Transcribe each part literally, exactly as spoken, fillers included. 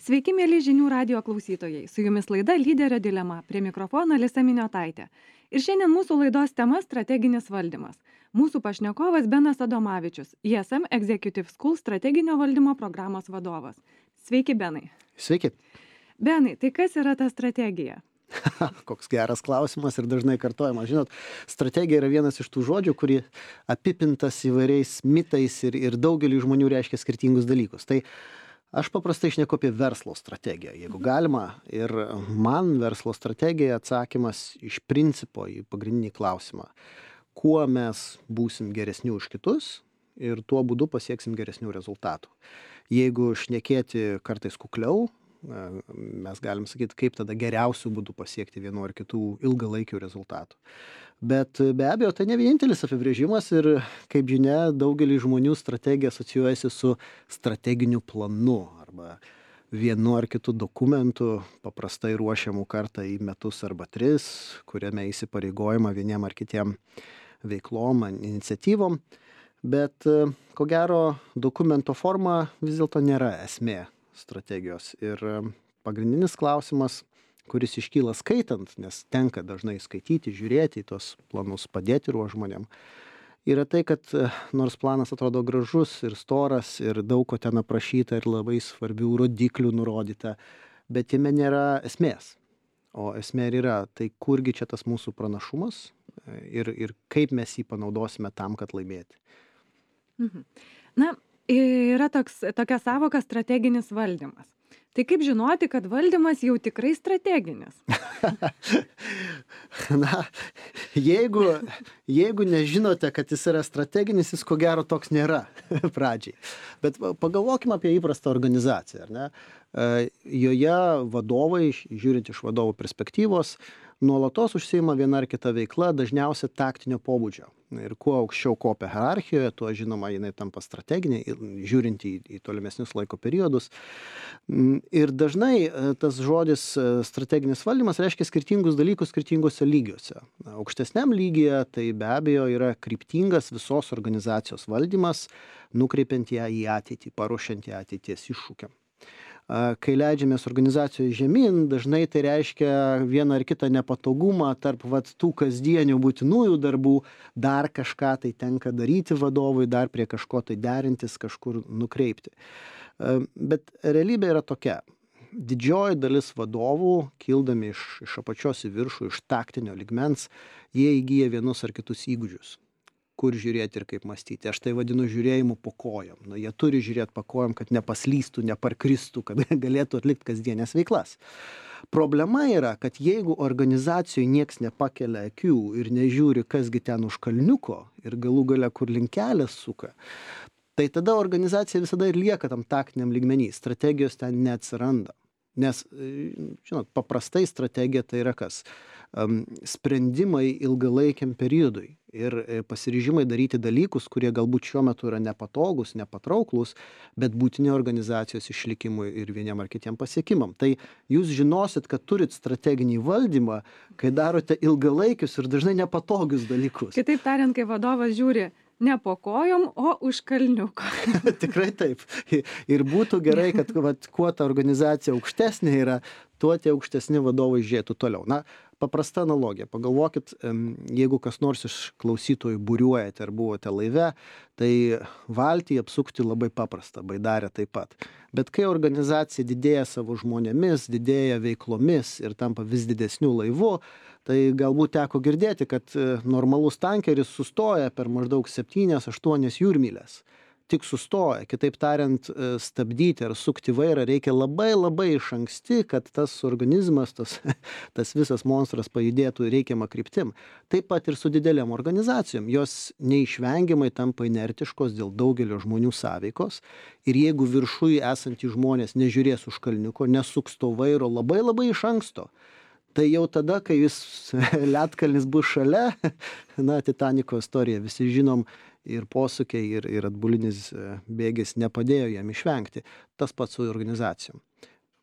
Sveiki, mėly žinių radio klausytojai. Su jumis laida Lyderio dilema. Prie mikrofono Alisa Miniotaitė. Ir šiandien mūsų laidos tema – strateginis valdymas. Mūsų pašnekovas Benas Adomavičius, I S M Executive School strateginio valdymo programos vadovas. Sveiki, Benai. Sveiki. Benai, tai kas yra ta strategija? Koks geras klausimas ir dažnai kartojamas. Žinot, strategija yra vienas iš tų žodžių, kurį apipintas įvairiais mitais ir, ir daugelį žmonių reiškia skirtingus dalykus. Tai aš paprastai šneku apie verslo strategiją, jeigu galima. Ir man verslo strategija atsakymas iš principo į pagrindinį klausimą. Kuo mes būsim geresni už kitus ir tuo būdu pasieksim geresnių rezultatų. Jeigu šnekėti kartais kukliau, mes galim sakyti, kaip tada geriausių būdų pasiekti vienu ar kitų ilgalaikių rezultatų. Bet be abejo, tai ne vienintelis apibrėžimas ir, kaip žinia, daugelį žmonių strategija asocijuojasi su strateginiu planu arba vienu ar kitu dokumentu, paprastai ruošiamų kartą į metus arba tris, kuriame įsipareigojama vieniem ar kitiem veiklom, iniciatyvom. Bet ko gero, dokumento forma vis dėlto nėra esmė strategijos. Ir pagrindinis klausimas, kuris iškyla skaitant, nes tenka dažnai skaityti, žiūrėti į tos planus, padėti ruoš žmonėm, yra tai, kad nors planas atrodo gražus ir storas ir daug ko ten aprašyta ir labai svarbių rodiklių nurodyta, bet jame nėra esmės. O esmė ir yra, tai kurgi čia tas mūsų pranašumas ir, ir kaip mes jį panaudosime tam, kad laimėti. Mhm. Na, yra toks, tokia savoka strateginis valdymas. Tai kaip žinoti, kad valdymas jau tikrai strateginis? Na, jeigu, jeigu nežinote, kad jis yra strateginis, jis ko gero toks nėra pradžiai. Bet pagalvokime apie įprastą organizaciją, ar ne? Joje vadovai, žiūrint iš vadovų perspektyvos, nuolatos užsiima viena ar kita veikla, dažniausiai taktinio pobūdžio. Ir kuo aukščiau kopia hierarchijoje, tuo žinoma jinai tampa strateginė, žiūrint į, į tolimesnius laiko periodus. Ir dažnai tas žodis strateginis valdymas reiškia skirtingus dalykus skirtingose lygiuose. Aukštesniam lygyje tai be abejo yra kryptingas visos organizacijos valdymas, nukreipiant ją į ateitį, paruošiant ją ateities iššūkiam. Kai leidžiamės organizacijoje žemyn, dažnai tai reiškia vieną ar kitą nepatogumą tarp vat, tų kasdienių būtinųjų darbų, dar kažką tai tenka daryti vadovui, dar prie kažko tai derintis, kažkur nukreipti. Bet realybė yra tokia. Didžioji dalis vadovų, kildami iš, iš apačios į viršų, iš taktinio lygmens, jie įgyja vienus ar kitus įgūdžius. Kur žiūrėti ir kaip mąstyti. Aš tai vadinu žiūrėjimu po kojom. Nu, jie turi žiūrėti po kojom, kad nepaslystų, neparkristų, kad galėtų atlikti kasdienės veiklas. Problema yra, kad jeigu organizacijoje nieks nepakelia akių ir nežiūri, kasgi ten už kalniuko ir galų gale kur linkelės suka, tai tada organizacija visada ir lieka tam taktiniam lygmenį. Strategijos ten neatsiranda. Nes, žinot, paprastai strategija tai yra kas? Um, sprendimai ilgalaikiam periodui ir pasiryžimai daryti dalykus, kurie galbūt šiuo metu yra nepatogus, nepatrauklus, bet būtini organizacijos išlikimui ir vieniem ar kitiem pasiekimam. Tai jūs žinosit, kad turit strateginį valdymą, kai darote ilgalaikius ir dažnai nepatogius dalykus. Kitaip tariant, kai vadovas žiūri ne po kojom, o už kalniuko. Tikrai taip. Ir būtų gerai, kad vat, kuo ta organizacija aukštesnė yra, tuo tie aukštesni vadovai žiūrėtų toliau. Na, paprasta analogija. Pagalvokit, jeigu kas nors iš klausytojų būriuojate ar buvote laive, tai valtį apsukti labai paprasta, baidarė taip pat. Bet kai organizacija didėja savo žmonėmis, didėja veiklomis ir tampa vis didesnių laivų, tai galbūt teko girdėti, kad normalus tankeris sustoja per maždaug septynias aštuonias jūrmyles. Tik sustoja. Kitaip tariant, stabdyti ar sukti vairą reikia labai labai iš anksti, kad tas organizmas, tas, tas visas monstras pajudėtų reikiamą kryptim. Taip pat ir su didelėm organizacijom. Jos neišvengiamai tampa inertiškos dėl daugelio žmonių sąveikos. Ir jeigu viršuje esantys žmonės nežiūrės už kalniuko, nesuks to vairo labai labai iš anksto, tai jau tada, kai jis ledkalnis bus šalia, na, Titaniko istorija, visi žinom, ir posūkiai, ir, ir atbulinis bėgis nepadėjo jam išvengti. Tas pats su organizacijom.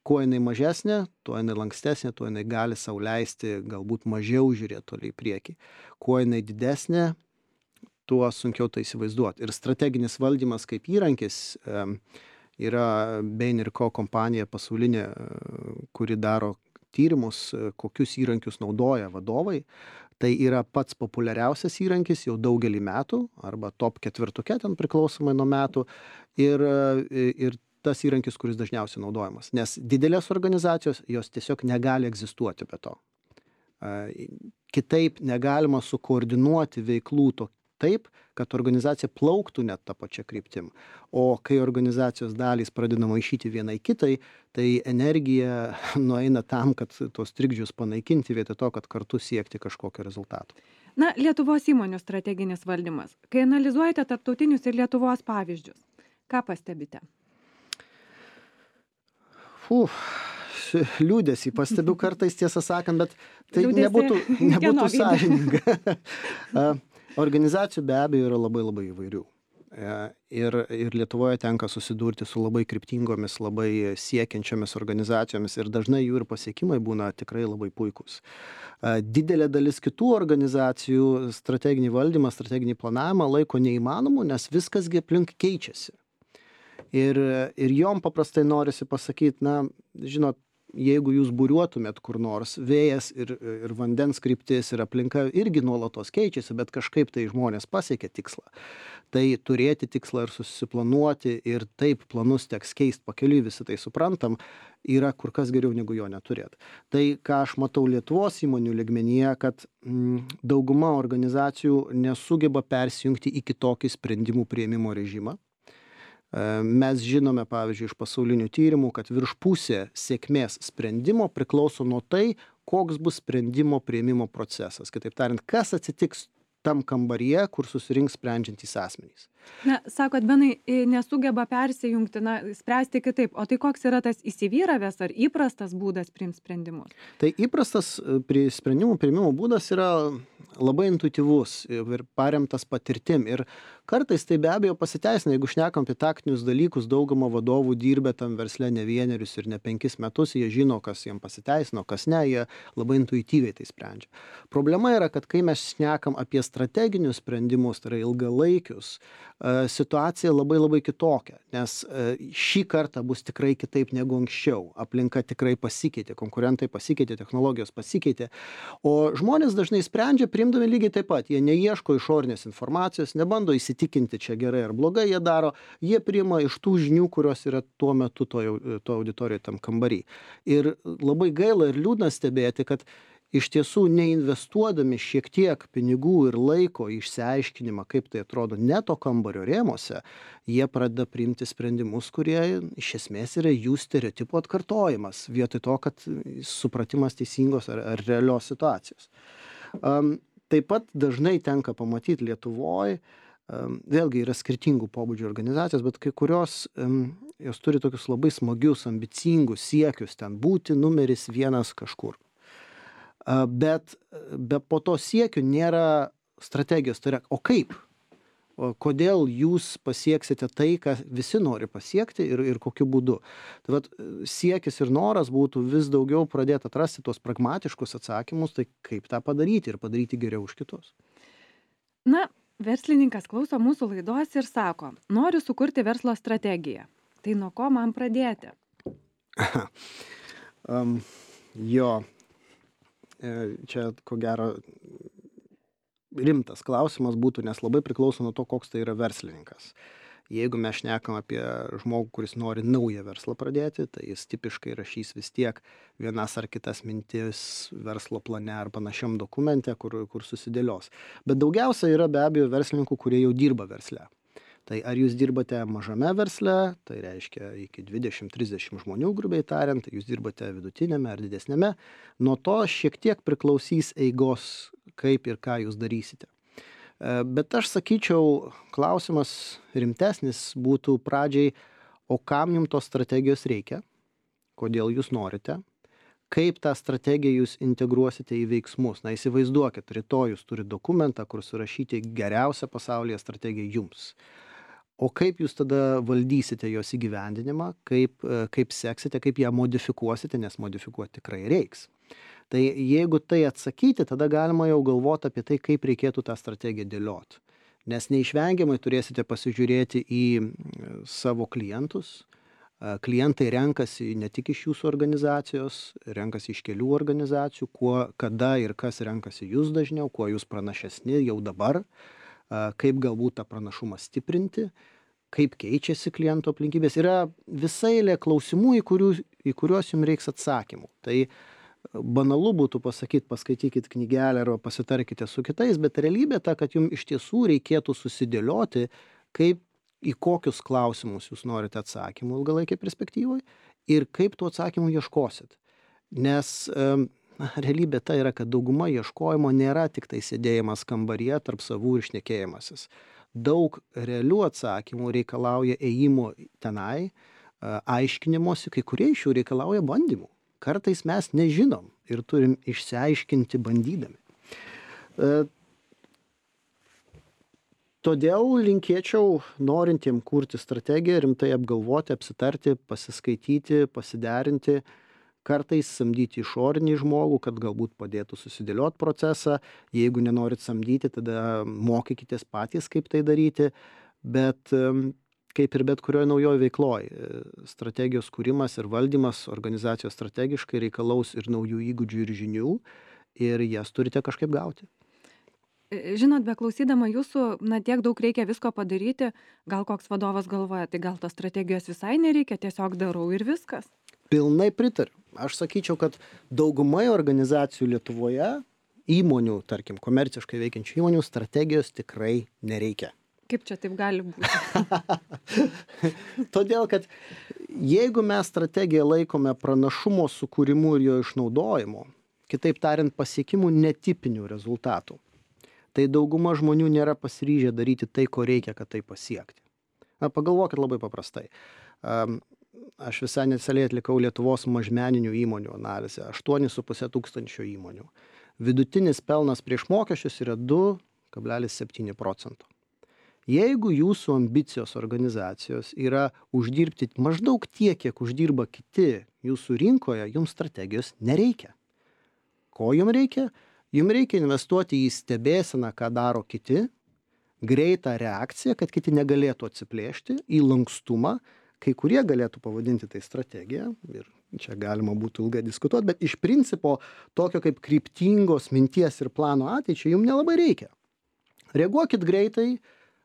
Kuo jinai mažesnė, tuo jinai lankstesnė, tuo jinai gali sau leisti galbūt mažiau žiūrėti toliai į priekį. Kuo jinai didesnė, tuo sunkiau tai įsivaizduoti. Ir strateginis valdymas kaip įrankis yra Bain ir Co kompanija pasaulinė, kuri daro tyrimus, kokius įrankius naudoja vadovai. Tai yra pats populiariausias įrankis jau daugelį metų, arba top ketvirtuke ten priklausomai nuo metų. Ir, ir tas įrankis, kuris dažniausiai naudojamas. Nes didelės organizacijos, jos tiesiog negali egzistuoti be to. Kitaip negalima sukoordinuoti veiklų to, taip, kad organizacija plauktų net tą pačią kryptim. O kai organizacijos dalys pradeda maišyti vienai kitai, tai energija nueina tam, kad tos trikdžius panaikinti vietoj to, kad kartu siekti kažkokio rezultato. Na, Lietuvos įmonių strateginis valdymas. Kai analizuojate tarptautinius ir Lietuvos pavyzdžius, ką pastebite? Uf, liūdėsį pastebiu kartais, tiesą sakant, bet tai Liūdesį nebūtų, nebūtų kieno veide? sąžininga. Organizacijų be abejo yra labai labai įvairių. Ir, ir Lietuvoje tenka susidurti su labai kryptingomis, labai siekiančiomis organizacijomis ir dažnai jų ir pasiekimai būna tikrai labai puikūs. Didelė dalis kitų organizacijų strateginį valdymą, strateginį planavimą laiko neįmanomu, nes viskas aplink keičiasi. Ir, ir jom paprastai norisi pasakyti, na, žinot, jeigu jūs būriuotumėt kur nors, vėjas ir, ir vandens kryptis ir aplinka irgi nuolatos keičiasi, bet kažkaip tai žmonės pasiekia tikslą. Tai turėti tikslą ir susiplanuoti ir taip planus teks keisti pakeliui, visi tai suprantam, yra kur kas geriau negu jo neturėti. Tai, ką aš matau Lietuvos įmonių lygmenyje, kad mm, dauguma organizacijų nesugeba persijungti į kitokį sprendimų priėmimo režimą. Mes žinome, pavyzdžiui, iš pasaulinių tyrimų, kad virš pusė sėkmės sprendimo priklauso nuo tai, koks bus sprendimo priėmimo procesas. Kitaip tariant, kas atsitiks tam kambaryje, kur susirinks sprendžiantys asmenys. Na, sakot, Benai, nesugeba persijungti, na, spręsti kitaip. O tai koks yra tas įsivyravęs ar įprastas būdas priimti sprendimus? Tai įprastas sprendimų priėmimo būdas yra labai intuityvus ir paremtas patirtim. Ir kartais tai be abejo pasiteisina, jeigu šnekam apie taktinius dalykus, dauguma vadovų dirbę tam versle ne vienerius ir ne penkis metus, jie žino, kas jiems pasiteisino, kas ne, jie labai intuityviai tai sprendžia. Problema yra, kad kai mes šnekam apie strateginius sprendimus, tai yra ilgalaikius, situacija labai labai kitokia, nes šį kartą bus tikrai kitaip negu anksčiau. Aplinka tikrai pasikeitė, konkurentai pasikeitė, technologijos pasikeitė, o žmonės dažnai sprendžia priimdami lygiai taip pat. Jie neieško išorinės informacijos, nebando įsitikinti čia gerai ar blogai jie daro, jie priima iš tų žinių, kurios yra tuo metu to, to auditorijoje tam kambarį. Ir labai gaila ir liūdna stebėti, kad iš tiesų neinvestuodami šiek tiek pinigų ir laiko į išsiaiškinimą, kaip tai atrodo ne to kambario rėmose, jie pradeda priimti sprendimus, kurie iš esmės yra jų stereotipų atkartojimas, vietoj to, kad supratimas teisingos ar, ar realios situacijos. Um, taip pat dažnai tenka pamatyti Lietuvoje, um, vėlgi yra skirtingų pobūdžių organizacijos, bet kai kurios um, jos turi tokius labai smagius, ambicingus siekius ten būti numeris vienas kažkur. Bet, bet po to siekių nėra strategijos. Tai yra, o kaip? O kodėl jūs pasieksite tai, ką visi nori pasiekti ir, ir kokiu būdu? Tai vat, siekis ir noras būtų vis daugiau pradėti atrasti tos pragmatiškus atsakymus, tai kaip tą padaryti ir padaryti geriau už kitus. Na, verslininkas klauso mūsų laidos ir sako, noriu sukurti verslo strategiją. Tai nuo ko man pradėti? um, jo. Čia, ko gero, rimtas klausimas būtų, nes labai priklauso nuo to, koks tai yra verslininkas. Jeigu mes šnekam apie žmogų, kuris nori naują verslą pradėti, tai jis tipiškai rašys vis tiek vienas ar kitas mintis verslo plane ar panašiam dokumente, kur, kur susidėlios. Bet daugiausia yra be abejo verslininkų, kurie jau dirba versle. Tai ar jūs dirbate mažame versle, tai reiškia iki dvidešimt trisdešimt žmonių, grubiai tariant, jūs dirbate vidutinėme ar didesnėme, nuo to šiek tiek priklausys eigos, kaip ir ką jūs darysite. Bet aš sakyčiau, klausimas rimtesnis būtų pradžiai, o kam jums tos strategijos reikia, kodėl jūs norite, kaip tą strategiją jūs integruosite į veiksmus. Na, įsivaizduokit, rytoj jūs turite dokumentą, kur surašyti geriausią pasaulyje strategiją jums. O kaip jūs tada valdysite jos įgyvendinimą, kaip, kaip seksite, kaip ją modifikuosite, nes modifikuoti tikrai reiks. Tai jeigu tai atsakyti, tada galima jau galvoti apie tai, kaip reikėtų tą strategiją dėlioti. Nes neišvengiamai turėsite pasižiūrėti į savo klientus, Klientai renkasi ne tik iš jūsų organizacijos, renkasi iš kelių organizacijų, kuo, kada ir kas renkasi jūs dažniau, kuo jūs pranašesni jau dabar, kaip galbūt tą pranašumą stiprinti, kaip keičiasi klientų aplinkybės. Yra visa eilė klausimų, į, kurių, į kuriuos jums reiks atsakymų. Tai banalu būtų pasakyti, paskaitykit knygelę arba pasitarkite su kitais, bet realybė ta, kad jums iš tiesų reikėtų susidėlioti, kaip į kokius klausimus jūs norite atsakymų ilgalaikėje perspektyvoje ir kaip tų atsakymų ieškosit. Nes na, realybė ta yra, kad dauguma ieškojimo nėra tik tai sėdėjimas kambaryje tarp savų ir šnekėjimasis. Daug realių atsakymų reikalauja ėjimo tenai, aiškinimosi, kai kurie iš jų reikalauja bandymų. Kartais mes nežinom ir turim išsiaiškinti bandydami. Todėl linkėčiau norintiem kurti strategiją, rimtai apgalvoti, apsitarti, pasiskaityti, pasiderinti, kartais samdyti išorinį žmogų, kad galbūt padėtų susidėlioti procesą. Jeigu nenorit samdyti, tada mokykitės patys, kaip tai daryti. Bet kaip ir bet kurioje naujoje veikloje, strategijos kūrimas ir valdymas organizacijos strategiškai reikalaus ir naujų įgūdžių ir žinių, ir jas turite kažkaip gauti. Žinot, beklausydama jūsų, na tiek daug reikia visko padaryti, gal koks vadovas galvoja, tai gal tos strategijos visai nereikia, tiesiog darau ir viskas. Pilnai pritariu. Aš sakyčiau, kad daugumai organizacijų Lietuvoje, įmonių, tarkim, komerciškai veikiančių įmonių, strategijos tikrai nereikia. Kaip čia taip gali būti? Todėl, kad jeigu mes strategiją laikome pranašumo sukūrimu ir jo išnaudojimu, kitaip tariant, pasiekimų netipinių rezultatų, tai dauguma žmonių nėra pasiryžę daryti tai, ko reikia, kad tai pasiekti. Na, pagalvokit labai paprastai. Aš visai neseniai atlikau Lietuvos mažmeninių įmonių analizę. aštuoni su puse tūkstančio įmonių. Vidutinis pelnas prieš mokesčius yra du kablelis septyni procento. Jeigu jūsų ambicijos organizacijos yra uždirbti maždaug tiek, kiek uždirba kiti jūsų rinkoje, jums strategijos nereikia. Ko jums reikia? Jums reikia investuoti į stebėseną, ką daro kiti, greitą reakciją, kad kiti negalėtų atsiplėšti, į lankstumą, kai kurie galėtų pavadinti tai strategiją, ir čia galima būtų ilgai diskutuoti, bet iš principo tokio kaip kryptingos minties ir plano ateičiai jums nelabai reikia. Reaguokit greitai,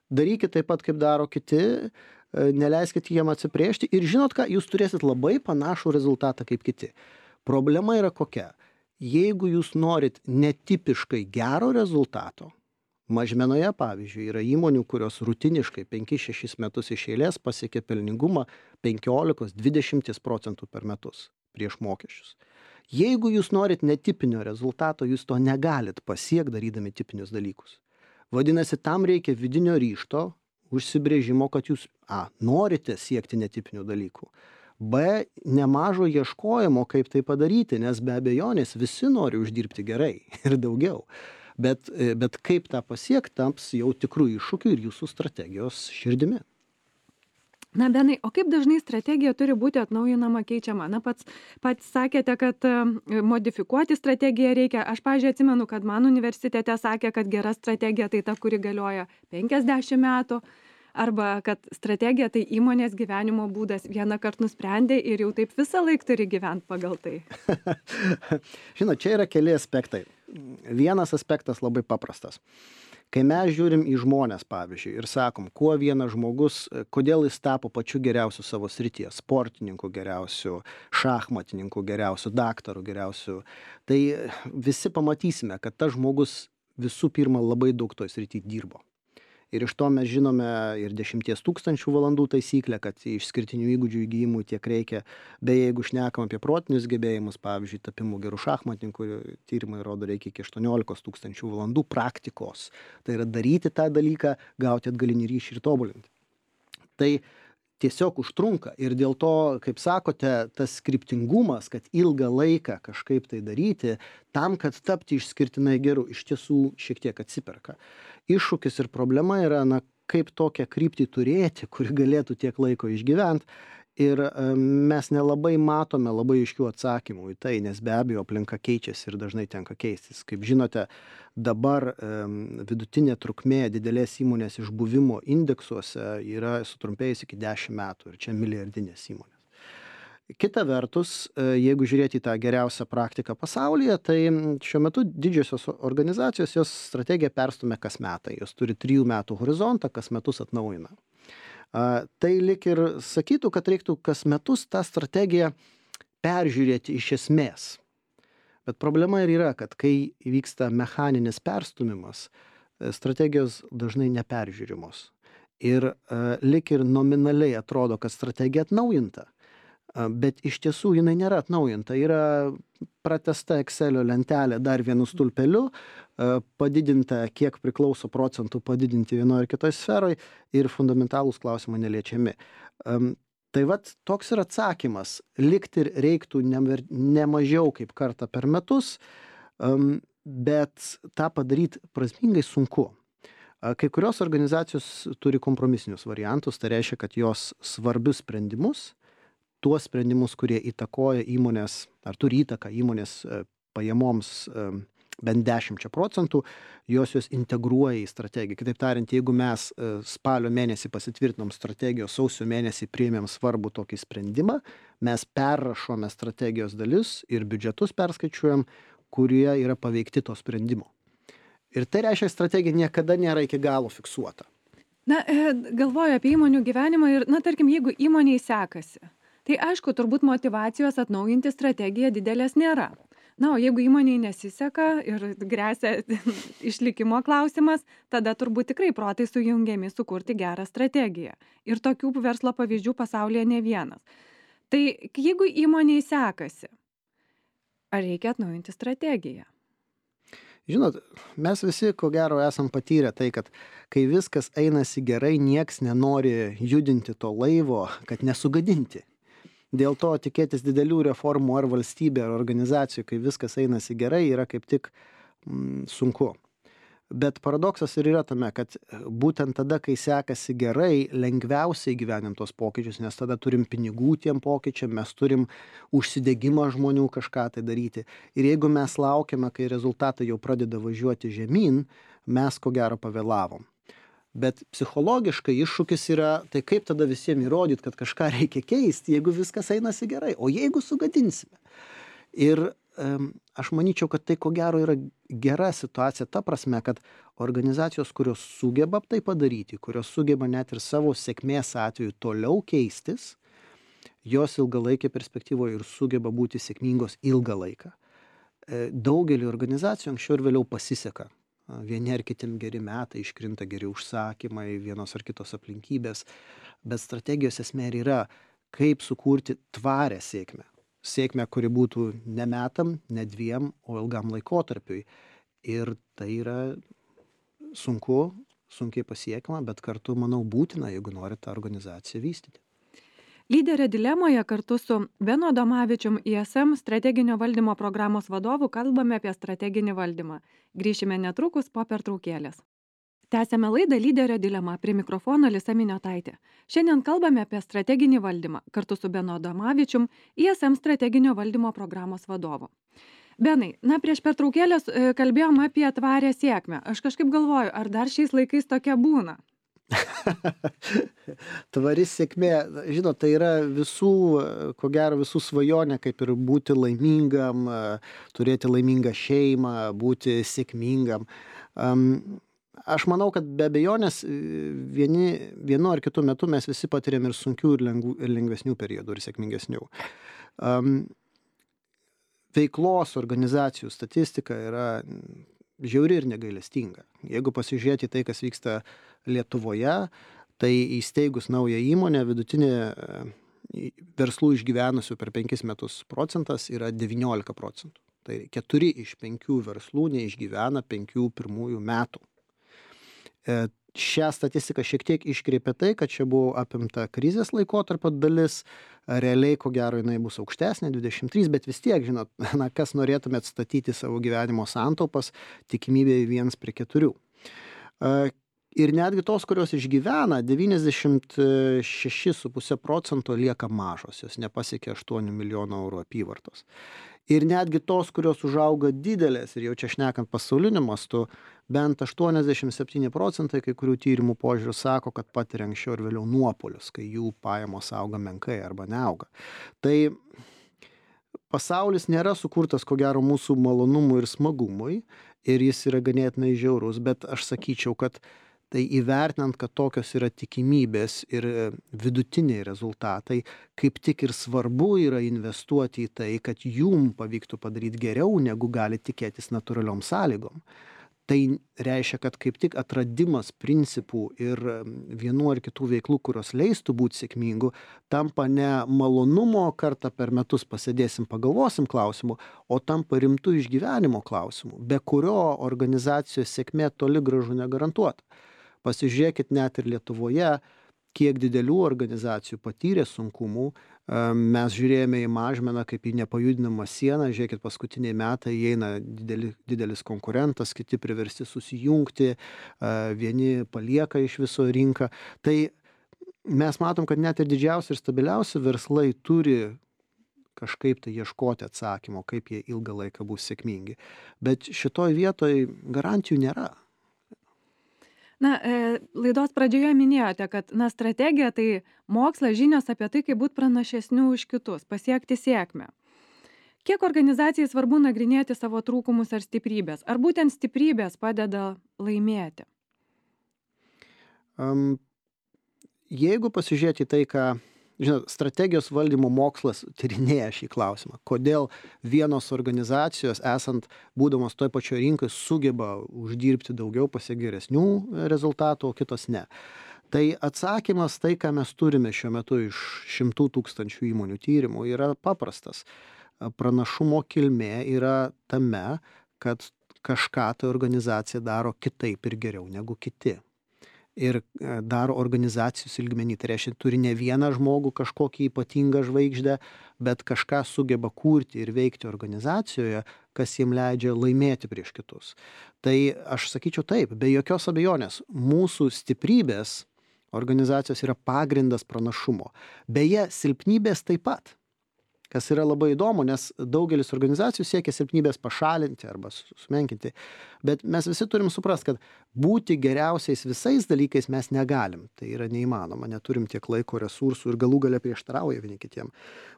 darykit taip pat, kaip daro kiti, neleiskit jiem atsiplėšti ir žinot ką, jūs turėsit labai panašų rezultatą kaip kiti. Problema yra kokia? Jeigu jūs norit netipiškai gero rezultato, mažmenoje, pavyzdžiui, yra įmonių, kurios rutiniškai penkis šešis metus iš eilės pasiekia pelningumą penkiolika dvidešimt procentų per metus prieš mokesčius. Jeigu jūs norit netipinio rezultato, jūs to negalit pasiekti darydami tipinius dalykus. Vadinasi, tam reikia vidinio ryžto, užsibrėžimo, kad jūs a, norite siekti netipinių dalykų. B, nemažo ieškojimo, kaip tai padaryti, nes be abejonės visi nori uždirbti gerai ir daugiau. Bet, bet kaip tą pasiekti, taps jau tikrų iššūkių ir jūsų strategijos širdimi. Na, Benai, o kaip dažnai strategija turi būti atnaujinama, keičiama? Na, pats, pats sakėte, kad modifikuoti strategiją reikia. Aš, pavyzdžiui, atsimenu, kad man universitete sakė, kad gera strategija tai ta, kuri galioja penkiasdešimt metų. Arba kad strategija tai įmonės gyvenimo būdas, vieną kartą nusprendė ir jau taip visą laiką turi gyventi pagal tai. Žinot, čia yra keli aspektai. Vienas aspektas labai paprastas. Kai mes žiūrim į žmonės, pavyzdžiui, ir sakom, kuo vienas žmogus, kodėl jis tapo pačiu geriausiu savo srityje, sportininku geriausiu, šachmatininku geriausiu, daktaru geriausiu, tai visi pamatysime, kad tas žmogus visų pirma labai daug toj srityje dirbo. Ir iš to mes žinome ir dešimties tūkstančių valandų taisyklę, kad išskirtinių įgūdžių įgijimų tiek reikia. Beje, jeigu šnekam apie protinius gebėjimus, pavyzdžiui, tapimų gerų šachmatininkų, tyrimai rodo, reikia iki aštuoniolikos tūkstančių valandų praktikos. Tai yra daryti tą dalyką, gauti atgalinį ryšį ir tobulinti. Tai tiesiog užtrunka ir dėl to, kaip sakote, tas kryptingumas, kad ilgą laiką kažkaip tai daryti, tam, kad tapti išskirtinai geru, iš tiesų šiek tiek atsiperka. Iššūkis ir problema yra, na, kaip tokią kryptį turėti, kuri galėtų tiek laiko išgyventi. Ir mes nelabai matome labai aiškių atsakymų į tai, nes be abejo aplinka keičiasi ir dažnai tenka keistis. Kaip žinote, dabar vidutinė trukmė didelės įmonės išbuvimo indeksuose yra sutrumpėjus iki dešimt metų ir čia milijardinės įmonės. Kita vertus, jeigu žiūrėti į tą geriausią praktiką pasaulyje, tai šiuo metu didžiosios organizacijos jos strategiją perstumia kas metai. Jos turi trijų metų horizontą, kas metus atnaujina. Tai lik ir sakytų, kad reiktų kas metus tą strategiją peržiūrėti iš esmės. Bet problema ir yra, kad kai vyksta mechaninis perstumimas, strategijos dažnai neperžiūrimos. Ir lik ir nominaliai atrodo, kad strategija atnaujinta. Bet iš tiesų jinai nėra atnaujinta. Yra pratęsta Excelio lentelė dar vienu stulpeliu, padidinta, kiek priklauso procentų padidinti vienoje ar kitoje sferoje ir fundamentalūs klausimai neliečiami. Tai vat toks ir atsakymas. Likti reiktų ne mažiau kaip kartą per metus, bet tą padaryti prasmingai sunku. Kai kurios organizacijos turi kompromisinius variantus, tai reiškia, kad jos svarbius sprendimus, tuos sprendimus, kurie įtakoja įmonės, ar turi įtaką įmonės pajamoms bent dešimčia procentų, jos jos integruoja į strategiją. Kitaip tariant, jeigu mes spalio mėnesį pasitvirtinom strategijos, sausio mėnesį priėmėm svarbų tokį sprendimą, mes perrašome strategijos dalis ir biudžetus perskaičiuojam, kurie yra paveikti to sprendimo. Ir tai reiškia, strategija niekada nėra iki galo fiksuota. Na, galvoju apie įmonių gyvenimą ir, na, tarkim, jeigu įmoniai sekasi, tai aišku, turbūt motyvacijos atnaujinti strategiją didelės nėra. Na, o jeigu įmoniai nesiseka ir grėsia išlikimo klausimas, tada turbūt tikrai protai sujungiami sukurti gerą strategiją. Ir tokių verslo pavyzdžių pasaulyje ne vienas. Tai jeigu įmoniai sekasi, ar reikia atnaujinti strategiją? Žinot, mes visi, ko gero, esam patyrę tai, kad kai viskas einasi gerai, nieks nenori judinti to laivo, kad nesugadinti. Dėl to tikėtis didelių reformų ar valstybė, ar organizacijų, kai viskas einasi gerai, yra kaip tik mm, sunku. Bet paradoksas ir yra tame, kad būtent tada, kai sekasi gerai, lengviausiai gyvenim tos pokyčius, nes tada turim pinigų tiem pokyčiam, mes turim užsidegimą žmonių kažką tai daryti. Ir jeigu mes laukiame, kai rezultatai jau pradeda važiuoti žemyn, mes ko gero pavėlavom. Bet psichologiškai iššūkis yra, tai kaip tada visiems įrodyti, kad kažką reikia keisti, jeigu viskas einasi gerai, o jeigu sugadinsime. Ir um, aš manyčiau, kad tai ko gero yra gera situacija ta prasme, kad organizacijos, kurios sugeba tai padaryti, kurios sugeba net ir savo sėkmės atveju toliau keistis, jos ilgalaikė perspektyvoje ir sugeba būti sėkmingos ilgą laiką. Daugelį organizacijų anksčiau ir vėliau pasiseka. Vieni ar kitiem geri metai, iškrinta geri užsakymai, vienos ar kitos aplinkybės, bet strategijos esmė yra, kaip sukurti tvarę sėkmę. Sėkmę, kuri būtų ne metam, ne dviem, o ilgam laikotarpiui. Ir tai yra sunku, sunkiai pasiekiama, bet kartu, manau, būtina, jeigu nori tą organizaciją vystyti. Lyderio dilemoje kartu su Benu Adomavičium I S M strateginio valdymo programos vadovu kalbame apie strateginį valdymą. Grįšime netrukus po pertraukėlės. Tęsiame laidą Lyderio dilema, prie mikrofono Alisa Miniotaitė. Šiandien kalbame apie strateginį valdymą kartu su Benu Adomavičium, I S M strateginio valdymo programos vadovu. Benai, na prieš pertraukėlės kalbėjom apie tvarę sėkmę. Aš kažkaip galvoju, ar dar šiais laikais tokia būna? Tvari sėkmė, žinot, tai yra visų, ko gero visų svajonė, kaip ir būti laimingam, turėti laimingą šeimą, būti sėkmingam. Um, aš manau, kad be abejonės vieni, vienu ar kitu metu mes visi patiriam ir sunkių, ir, lengvų, ir lengvesnių periodų, ir sėkmingesnių. Um, veiklos organizacijų statistika yra žiauri ir negailestinga. Jeigu pasižiūrėti tai, kas vyksta Lietuvoje, tai įsteigus naują įmonę, vidutinė verslų išgyvenusių per penkis metus procentas yra devyniolika procentų. Tai keturi iš penkių verslų neišgyvena penkių pirmųjų metų. Šią statistiką šiek tiek iškreipia tai, kad čia buvo apimta krizės laikotarpio dalis, realiai ko gero jinai bus aukštesnė, dvidešimt trys, bet vis tiek, žinot, na, kas norėtumėt statyti savo gyvenimo santaupas, tikimybė viens prie keturių. Ir netgi tos, kurios išgyvena, devyniasdešimt šeši su puse procento lieka mažos, jos nepasiekia aštuonių milijonų eurų apyvartos. Ir netgi tos, kurios užauga didelės, ir jau čia šnekant pasauliniu mastu, bent aštuoniasdešimt septyni procentai kai kurių tyrimų požiūrių sako, kad patiria anksčiau ir vėliau nuopolius, kai jų pajamos auga menkai arba neauga. Tai pasaulis nėra sukurtas, ko gero, mūsų malonumui ir smagumui, ir jis yra ganėtinai žiaurus, bet aš sakyčiau, kad tai įvertinant, kad tokios yra tikimybės ir vidutiniai rezultatai, kaip tik ir svarbu yra investuoti į tai, kad jum pavyktų padaryti geriau, negu gali tikėtis natūraliom sąlygom. Tai reiškia, kad kaip tik atradimas principų ir vienų ar kitų veiklų, kurios leistų būti sėkmingų, tampa ne malonumo kartą per metus pasėdėsim, pagalvosim klausimų, o tampa rimtų išgyvenimo klausimų, be kurio organizacijos sėkmė toli gražu negarantuota. Pasižiūrėkit net ir Lietuvoje, kiek didelių organizacijų patyrė sunkumų. Mes žiūrėjome į Mažmeną kaip į nepajudinamą sieną, žiūrėkit, paskutiniai metai įeina dideli, didelis konkurentas, kiti priversti susijungti, vieni palieka iš viso rinką. Tai mes matom, kad net ir didžiausi ir stabiliausi verslai turi kažkaip tai ieškoti atsakymo, kaip jie ilgą laiką bus sėkmingi. Bet šitoj vietoj garantijų nėra. Na, e, laidos pradžioje minėjote, kad na, strategija tai mokslas, žinios apie tai, kaip būti pranašesniu už kitus, pasiekti sėkmę. Kiek organizacijai svarbu nagrinėti savo trūkumus ar stiprybės? Ar būtent stiprybės padeda laimėti? Um, jeigu pasižiūrėti tai, ką, žinot, strategijos valdymo mokslas tyrinėja šį klausimą, kodėl vienos organizacijos, esant būdamos toj pačioj rinkai, sugeba uždirbti daugiau, pasiekti geresnių rezultatų, o kitos ne. Tai atsakymas, tai, ką mes turime šiuo metu iš šimtų tūkstančių įmonių tyrimų, yra paprastas. Pranašumo kilmė yra tame, kad kažką ta organizacija daro kitaip ir geriau negu kiti. Ir daro organizacijos lygmenį. Tai reiškia, turi ne vieną žmogų kažkokį ypatingą žvaigždę, bet kažką sugeba kurti ir veikti organizacijoje, kas jiem leidžia laimėti prieš kitus. Tai aš sakyčiau taip, be jokios abejonės, mūsų stiprybės organizacijos yra pagrindas pranašumo. Beje, silpnybės taip pat. Kas yra labai įdomu, nes daugelis organizacijų siekia silpnybės pašalinti arba sumenkinti. Bet mes visi turim suprasti, kad būti geriausiais visais dalykais mes negalim. Tai yra neįmanoma, neturim tiek laiko, resursų ir galų gale prieštarauja vieni kitiem.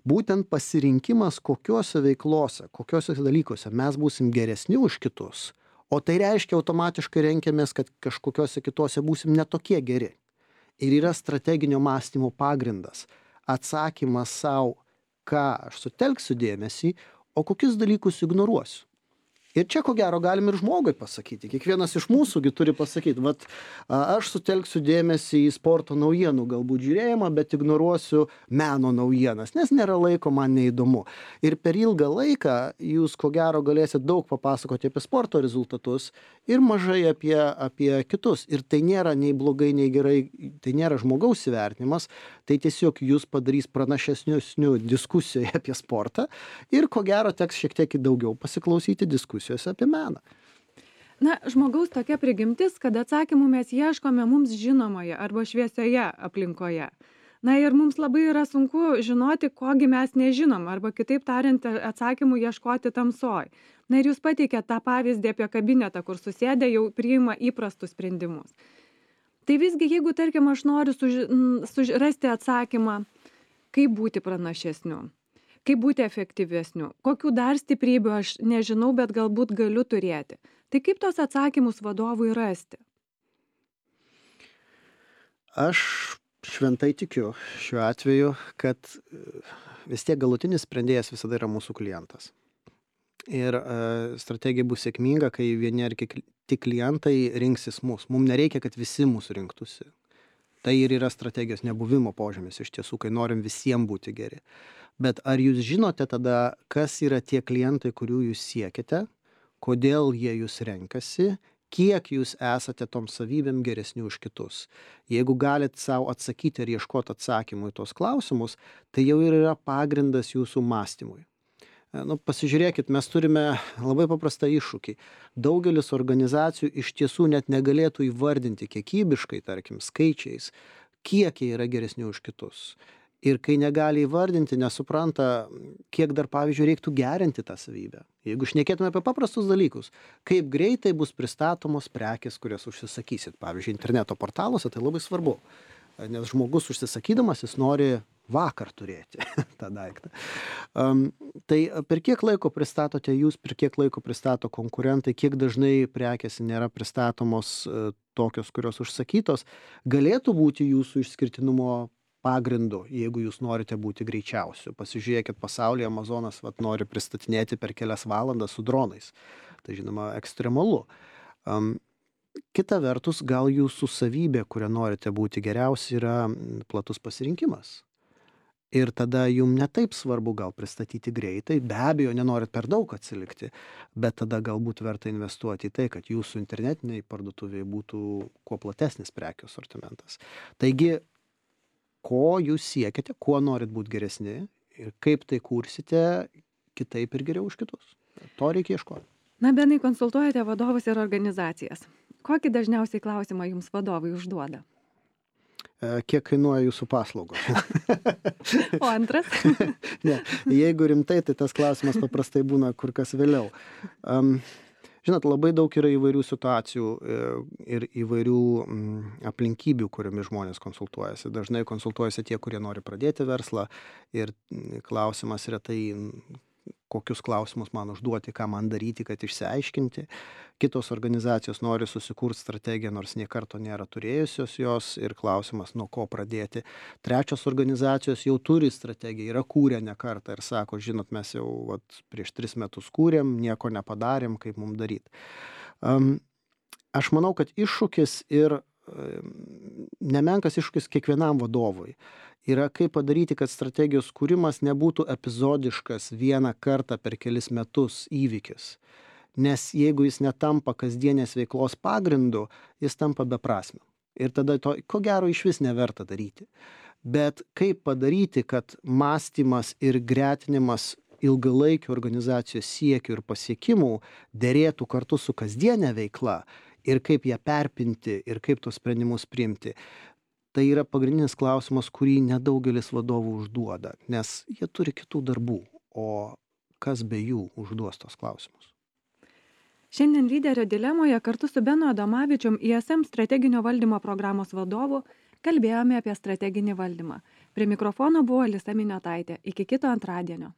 Būtent pasirinkimas kokiuose veiklose, kokiuose dalykuose mes būsim geresni už kitus, o tai reiškia automatiškai renkiamės, kad kažkokiuose kitose būsim netokie geri. Ir yra strateginio mąstymo pagrindas. Atsakymas savo, ką aš sutelksiu dėmesį, o kokius dalykus ignoruosiu. Ir čia, ko gero, galim ir žmogui pasakyti. Kiekvienas iš mūsųgi turi pasakyti, vat aš sutelksiu dėmesį į sporto naujienų galbūt žiūrėjimą, bet ignoruosiu meno naujienas, nes nėra laiko, man neįdomu. Ir per ilgą laiką jūs, ko gero, galėsit daug papasakoti apie sporto rezultatus ir mažai apie, apie kitus. Ir tai nėra nei blogai, nei gerai, tai nėra žmogaus įvertinimas, tai tiesiog jūs padarys pranašesnių diskusijoje apie sportą ir, ko gero, teks šiek tiek daugiau pasiklausyti diskusijų apie meną. Na, žmogaus tokia prigimtis, kad atsakymų mes ieškome mums žinomoje arba šviesioje aplinkoje. Na ir mums labai yra sunku žinoti, kogi mes nežinom, arba kitaip tariant, atsakymų ieškoti tamsoj. Na ir jūs pateikėte tą pavyzdį apie kabinetą, kur susėdę jau priima įprastus sprendimus. Tai visgi, jeigu, tarkim, aš noriu suž... surasti atsakymą, kaip būti pranašesniu, kaip būti efektyvesniu, kokių dar stiprybių aš nežinau, bet galbūt galiu turėti. Tai kaip tos atsakymus vadovui rasti? Aš šventai tikiu šiuo atveju, kad vis tiek galutinis sprendėjas visada yra mūsų klientas. Ir uh, strategija bus sėkminga, kai vieni ar tik klientai rinksis mus. Mums nereikia, kad visi mūsų rinktųsi. Tai ir yra strategijos nebuvimo požymis iš tiesų, kai norim visiems būti geri. Bet ar jūs žinote tada, kas yra tie klientai, kurių jūs siekite, kodėl jie jūs renkasi, kiek jūs esate tom savybėm geresni už kitus? Jeigu galit savo atsakyti ir ieškoti atsakymų į tos klausimus, tai jau ir yra pagrindas jūsų mąstymui. Nu, pasižiūrėkit, mes turime labai paprastą iššūkį. Daugelis organizacijų iš tiesų net negalėtų įvardinti kiekybiškai, tarkim, skaičiais, kiek jie yra geresni už kitus. Ir kai negali įvardinti, nesupranta, kiek dar, pavyzdžiui, reiktų gerinti tą savybę. Jeigu šnekėtume apie paprastus dalykus, kaip greitai bus pristatomos prekės, kurias užsisakysit. Pavyzdžiui, interneto portaluose tai labai svarbu, nes žmogus užsisakydamas, jis nori vakar turėti tą daiktą. Um, tai per kiek laiko pristatote jūs, per kiek laiko pristato konkurentai, kiek dažnai prekės nėra pristatomos uh, tokios, kurios užsakytos, galėtų būti jūsų išskirtinumo pagrindu, jeigu jūs norite būti greičiausiu. Pasižiūrėkit, pasaulyje Amazonas vat, nori pristatinėti per kelias valandas su dronais. Tai žinoma, ekstremalu. Um, kita vertus, gal jūsų savybė, kurią norite būti geriausi, yra platus pasirinkimas. Ir tada jums netaip svarbu gal pristatyti greitai, be abejo, nenorit per daug atsilikti, bet tada galbūt verta investuoti į tai, kad jūsų internetiniai parduotuvėje būtų kuo platesnis prekių sortimentas. Taigi, ko jūs siekiate, kuo norit būti geresni ir kaip tai kursite kitaip ir geriau už kitus. To reikia ieškoti. Na, Benai, konsultuojate vadovus ir organizacijas. Kokį dažniausiai klausimą jums vadovai užduoda? Kiek kainuoja jūsų paslaugos? O antras? Ne, jeigu rimtai, tai tas klausimas paprastai būna kur kas vėliau. Um, Žinot, labai daug yra įvairių situacijų ir įvairių aplinkybių, kuriomis žmonės konsultuojasi. Dažnai konsultuojasi tie, kurie nori pradėti verslą ir klausimas yra tai, kokius klausimus man užduoti, ką man daryti, kad išsiaiškinti. Kitos organizacijos nori susikurti strategiją, nors nie karto nėra turėjusios jos ir klausimas, nuo ko pradėti. Trečios organizacijos jau turi strategiją, yra kūrę ne kartą ir sako, žinot, mes jau vat, prieš tris metus kūrėm, nieko nepadarėm, kaip mums daryti. Um, aš manau, kad iššūkis ir um, nemenkas iššūkis kiekvienam vadovui yra kaip padaryti, kad strategijos kūrimas nebūtų epizodiškas vieną kartą per kelis metus įvykis. Nes jeigu jis netampa kasdienės veiklos pagrindu, jis tampa beprasmiu. Ir tada to, ko gero, iš vis neverta daryti. Bet kaip padaryti, kad mąstymas ir gretinimas ilgalaikių organizacijos siekių ir pasiekimų derėtų kartu su kasdienė veikla ir kaip ją perpinti ir kaip tos sprendimus priimti. Tai yra pagrindinis klausimas, kurį nedaugelis vadovų užduoda, nes jie turi kitų darbų, o kas be jų užduos tos klausimus. Šiandien lyderio dilemoje kartu su Benu Adomavičium I S M strateginio valdymo programos vadovu kalbėjome apie strateginį valdymą. Prie mikrofono buvo Alisa Miniotaitė. Iki kito antradienio.